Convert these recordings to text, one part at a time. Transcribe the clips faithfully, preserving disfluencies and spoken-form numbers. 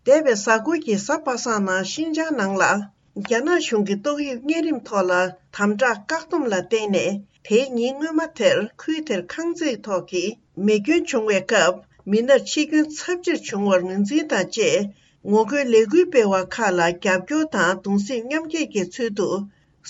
འདས་པའི་གཟའ་འཁོར་གྱི་གཟའ་པ་སངས་ནང་ཤིན་ཅང་ནང་ལ། རྒྱ་ནག་གཞུང་གིས་ཏོག་དབྱིབས་གཉན་རིམས་ཐོག་ལ་དམ་དྲག་བཀག་སྡོམ་ལ་བརྟེན་ནས། དེའི་ཉིན་སྔོན་མ་དེར་ཁུལ་དེར་ཁང་བརྩེགས་ཐོག་གི་མེ་སྐྱོན་བྱུང་བའི་སྐབས། མི་སྣར་འཆི་སྐྱོན་ཚབས་ཆེར་བྱུང་བར་ངོས་འཛིན་དང་བཅས། ངོ་རྒོལ་ལས་འགུལ་སྤེལ་བ་ཁག་ལ་རྒྱབ་སྐྱོར་དང་གདུང་སེམས་མཉམ་སྐྱེད་ཀྱི་ཚུལ་དུ།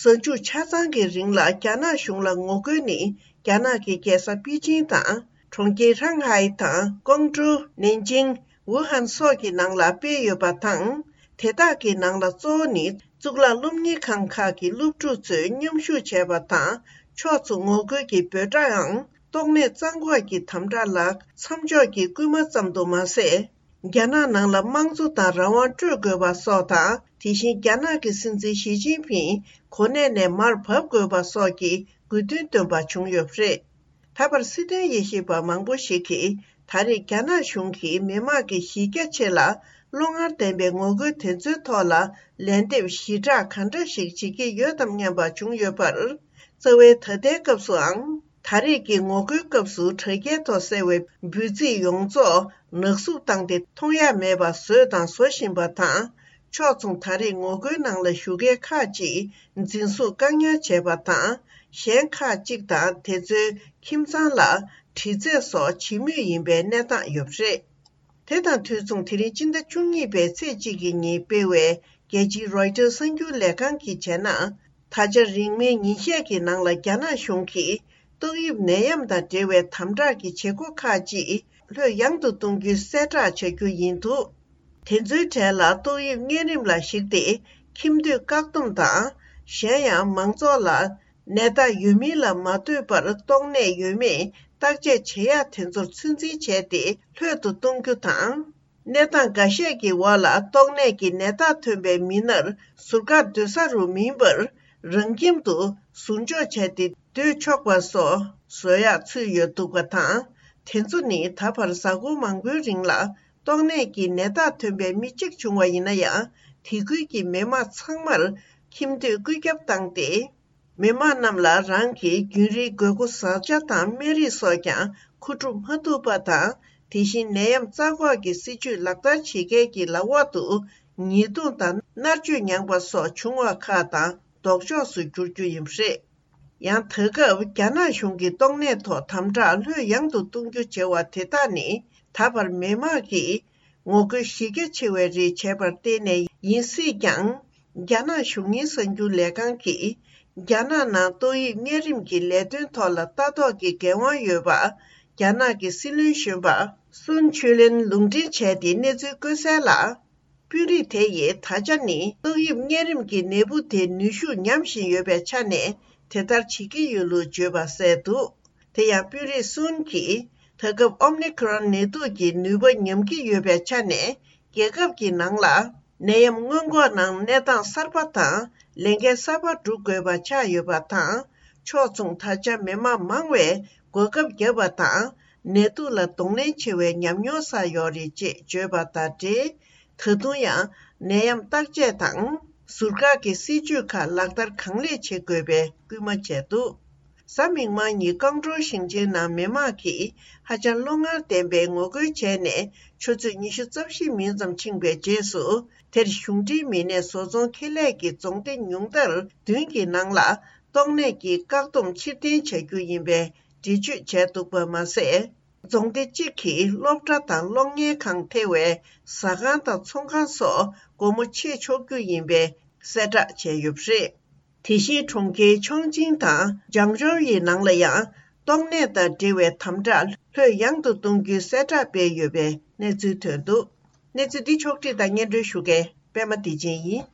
གཟའ་མཇུག་ཆ་ཚང་གི་རིང་ལ་རྒྱ་ནག་གཞུང་ལ་ངོ་རྒོལ་ནི། རྒྱ་ནག་གི་རྒྱལ་ས་པེ་ཅིང་དང་། གྲོང་ཁྱེར་ཧྲང་ཧའེ་དང་། ཀོང་ཀྲོའུ། ནན་ཅིང་། ཝུ་ཧན་སོགས་ཀྱི་ནང་ལ་སྤེལ་ཡོད་པ་དང་། དེ་དག་གི་ནང་ལ་གཙོ་བོ་ནི། གཙུག་ལག་སློབ་གཉེར་ཁང་ཁག་གི་སློབ་ཕྲུག་ཚོས་མཉམ་ཞུགས་བྱས་པ་དང་། ཕྱོགས་མཚུངས་ངོ་རྒོལ་གྱི་འབོད་སྒྲའང་། ཏོག་ནད་གཙང་འགོག་གི་དམ་དྲག་ལ་མཚམས་འཇོག་གི་སྐུལ་མ་ཙམ་དུ་མ་ཟད། རྒྱ་ནག་ནང་ལ་དམངས་གཙོ་དང་རང་དབང་སྤྲོད་དགོས་པ་སོགས་དང་། དེ་བཞིན་རྒྱ་ནག་གི་སྲིད་འཛིན་ཞི་ཅིན་ཕིང་གོ་གནས་ནས་མར་བབས་དགོས་པ་སོགས་ཀྱི་དགོས་འདུན་བཏོན་པ་བྱུང་ཡོད་པ་རེད། ད་བར་སྲིད་དོན་དབྱེ་ཞིབ་པ་མང་པོ་ཞིག་གིས། ད་རེས་རྒྱ་ནག་གཞུང་གིས་མི་དམངས་ཀྱི་གཞི་རྒྱ་ཆེ་ལ་བློ་ངར་ལྡན་པའི་ངོ་རྒོལ་དེ་ཚོའི་ཐོག་ལ་ལན་འདེབས་ཞི་དྲག་ག་འདྲ་ཞིག་བྱེད་ཀྱི་ཡོད་དམ་སྙམ་པ་བྱུང་ཡོད་པར། རྩ་བའི་ད་ལྟའི་སྐབས་སུའང་། ད་རེས་ཀྱི་ངོ་རྒོལ་སྐབས་སུ་དྲ་རྒྱའི་ཐོག་གསལ་བའི་འབོད་ཚིག་ཡོངས་རྫོགས་ནག་བསུབ་བཏང་སྟེ། མཐོང་ཡ་མེད་པ་བཟོས་དང་བཟོ་བཞིན་པ་དང་། ཕྱོགས་མཚུངས་ད་རེས་ངོ་རྒོལ་ནང་ལ་ཞུགས་མཁན་ཁག་ཅིག་འཛིན་བཟུང་བཀག་ཉར་བྱས་པ་དང་། གཞན་ཁག་ཅིག་དང་དེ་ཚོའི་ཁྱིམ་ཚང་ལ་དྲི་རྩད་སོགས་བྱེད་མུས་ཡིན་པའི་གནས་སྟངས་ཡོད་པ་རེད། དེ་དང་དུས་མཚུངས། དེ་རིང་སྤྱི་ཟླ་བཅུ་གཉིས་པའི་ཚེས་གཅིག་གི་ཉིན་སྤེལ་བའི་རྒྱལ་སྤྱིའི་རོའི་ཊར་གསར་འགྱུར་ལས་ཁང་གིས་བྱས་ན། ད་ཆ་རིང་མིན་ཉིན་ཤས་ཀྱི་ནང་ལ་རྒྱ་ནག་གཞུང་གིས་ཏོག་དབྱིབས་ནད་ཡམས་དང་འབྲེལ་བའི་དམ་དྲག་གི་བྱེད་སྒོ་ཁག་ཅིག་ལྷོད་ཡངས་དུ་གཏོང་རྒྱུའི་གསལ་བསྒྲགས་བྱ་རྒྱུ་ཡིན་འདུག་དེ་ཚོའི་གྲས་ལ་ཏོག་དབྱིབས་གཉན་རིམས་ལ་གཞིགས་ཏེ་ཁྱིམ་སྡོད་བཀག་སྡོམ་དང་། གཞན་ཡང་མང་ཚོགས་ལ་ནད་རྟགས་ཡོད་མིན་ལ་མ་ལྟོས་པར་ཏོག་ནད་ཡོད་མེད་བརྟག་དཔྱད་བྱེད་ཡག་དེ་ཚོར་ཚོད་འཛིན་བྱས་ཏེ་ལྷོད་དུ་གཏོང་རྒྱུ་དང་། གནས་སྟངས་འགའ་ཤས་ཀྱི་འོག་ལ་ཏོག་ནད་ཀྱི་ནད་རྟགས་ཐོན་པའི་མི་སྣར་ཟུར་བཀག་སྡོད་ས་རུ་མིན་པར། རང་ཁྱིམ་དུ་ཟུར་འཇོག་བྱས་ཏེ་སྡོད་ཆོག་པ་སོགས་བཟོ་ཡག་ཚུད་ཡོད་འདུག་པ་དང་། དེ་ཚོ་ནི་ད་བར་གཟའ་འཁོར་མང་པོའི་རིང་ལ་ཏོག་ནད་ཀྱི་ནད་རྟགས་ཐོན་པའི་མི་གཅིག་བྱུང་བ་ཡིན་ན་ཡང་། དེ་ཁུལ་གྱི་མི་དམངས་ཚང་མར་ཁྱིམ་སྡོད་བཀོད་ཁྱབ་བཏང་སྟེ། མི་དམངས་རྣམས་ལ་རང་གི་རྒྱུན་རིང་དགོས་མཁོ་བཟའ་བཅའ་དང་སྨན་རིགས་སོགས་ཀྱང་མཁོ་སྒྲུབ་མ་ཐུབ་པ་དང་། དེ་བཞིན་ནད་ཡམས་རྩ་འགོག་གི་སྲིད་ཇུས་ལག་བསྟར་བྱེད་མཁན་གྱི་ལག་འོག་ཏུ་ཉེས་རྡུང་དང་མནར་གཅོད་མྱངས་པ་སོགས་བྱུང་བ་ཁག་དང་ལྡོག་ཕྱོགས་སུ་འགྱུར་རྒྱུ་ཡིན་པ་རེད། ཡང་ད་སྐབས་རྒྱ་ནག་གཞུང་གིས་ཏོག་ནད་ཐོག་དམ་དྲག་ལྷོད་ཡངས་དུ་གཏོང་རྒྱུ་བྱ་བ་དེ་དག་ནི་ད་བར་མི་དམངས་ཀྱིས་ངོ་རྒོལ་གཞི་རྒྱ་ཆེ་བའི་རིགས་བྱས་པར་བརྟེན་ནས་ཡིན་སྲིད་ཀྱང་། རྒྱ་ནག་གཞུང་གཉེར་གསར་འགྱུར་ལས་ཁང་གིས། རྒྱ་ནག་ནང་ཏོག་དབྱིབས་གཉན་རིམས་ཀྱི་ལས་དོན་ཐོག་ལ་ལྟ་རྟོག་གི་འགན་དབང་ཡོད་པ། རྒྱ་ནག་གི་སྲིད་བློན་གཞོན་པ་སུན་ཆུས་ལེན་ལུང་འདྲེན་བྱས་ཏེ་གནས་ཚུལ་བཀོད་གསལ་ལ། དཔོན་རིགས་དེ་ཡིས་ད་ཆ་ནི་ཏོག་དབྱིབས་གཉན་རིམས་ཀྱི་ནད་འབུ་དེ་ནུས་ཤུགས་ཉམས་བཞིན་ཡོད་པའི་ཆ་ནས་དེ་ལྟར་བྱེད་ཀྱི་ཡོད་ལུགས་བརྗོད་པ་གསལ་འདུག་དེ་ཡང་དཔོན་རིགས་སུན་གྱིས། ད་སྐབས་ཨོམ་ནི་ཁི་རོན་ནད་དུག་གི་ནུས་པ་ཉམས་ཀྱི་ཡོད་པའི་ཆ་ནས། རྒྱལ་ཁབ་ཀྱི་ནང་ལ་ནད་ཡམས་སྔོན་འགོག་ནང་གནས་སྟངས་གསར་པ་དང་ལས་འགན་གསར་པ་སྒྲུབ་དགོས་པ་ཆགས་ཡོད་པ་དང་། ཕྱོགས་མཚུངས་ད་ཆ་མི་དམངས་མང་བས་གོ་སྐབས་བརྒྱབ་པ་དང་། ནད་དུག་ལ་གདོང་ལེན་ཆེ་བའི་ཉམས་མྱོང་བསགས་ཡོད་རེད་ཅེས་བརྗོད་པ་དང་འབྲེལ། ད་དུང་ཡང་ནད་ཡམས་བརྟག་དཔྱད་དང་ཟུར་བཀག་གི་སྲིད་ཇུས་ཁག་ལག་བསྟར་གང་ལེགས་བྱེད་དགོས་པའི་སྐུལ་མ་བྱས་འདུག་གཟའ་མིག་དམར་ཉིན་ཀོང་ཀྲོའུ་ཞིང་ཆེན་ནང་མི་དམངས་ཀྱིས་ཧ་ཅང་བློ་ངར་ལྡན་པའི་ངོ་རྒོལ་བྱས་ནས་ཆུ་ཚོད་ཉི་ཤུ་རྩ་བཞི་མིན་ཙམ་ཕྱིན་པའི་རྗེས་སུ། དེར་གཞུང་འབྲེལ་མི་སྣས་བཟོ་ཚོང་ཁེ་ལས་ཀྱི་རྫོང་སྡེ་ཉུང་མཐར་བདུན་གྱི་ནང་ལ་ཏོག་ནད་ཀྱི་བཀག་སྡོམ་ཕྱིར་འཐེན་བྱ་རྒྱུ་ཡིན་པའི་འགྲེལ་བརྗོད་བྱས་འདུག་པ་མ་ཟད། རྫོང་སྡེ་གཅིག་གིས་སློབ་གྲྭ་དང་གློག་བརྙན་ཁང་ཐེ་བའི་ཟ་ཁང་དང་ཚོང་ཁང་སོགས་སྒོ་མོ་ཕྱེ་ཆོག་རྒྱུ་ཡིན་པའི་གསལ་བསྒྲགས་བྱས་ཡོད་པ་རེད། དེ་བཞིན་གྲོང་ཁྱེར་ཆོང་ཅིང་དང་ཇང་ཇོའུ་ཡི་ནང་ལ་ཡང་ཏོག་ནད་དང་འབྲེལ་བའི་དམ་དྲག་ལྷོད་ཡངས་དུ་གཏོང་རྒྱུའི་གསལ་བསྒྲགས་སྤེལ་ཡོད་པའི་གནས་ཚུལ་ཐོན་འདུག་གནས་ཚུལ་འདི་ཕྱོགས་བསྒྲིགས་དང་སྙན་སྒྲོན་ཞུ་མཁན་པད་མ་བདེ་ཆེན་ཡིན།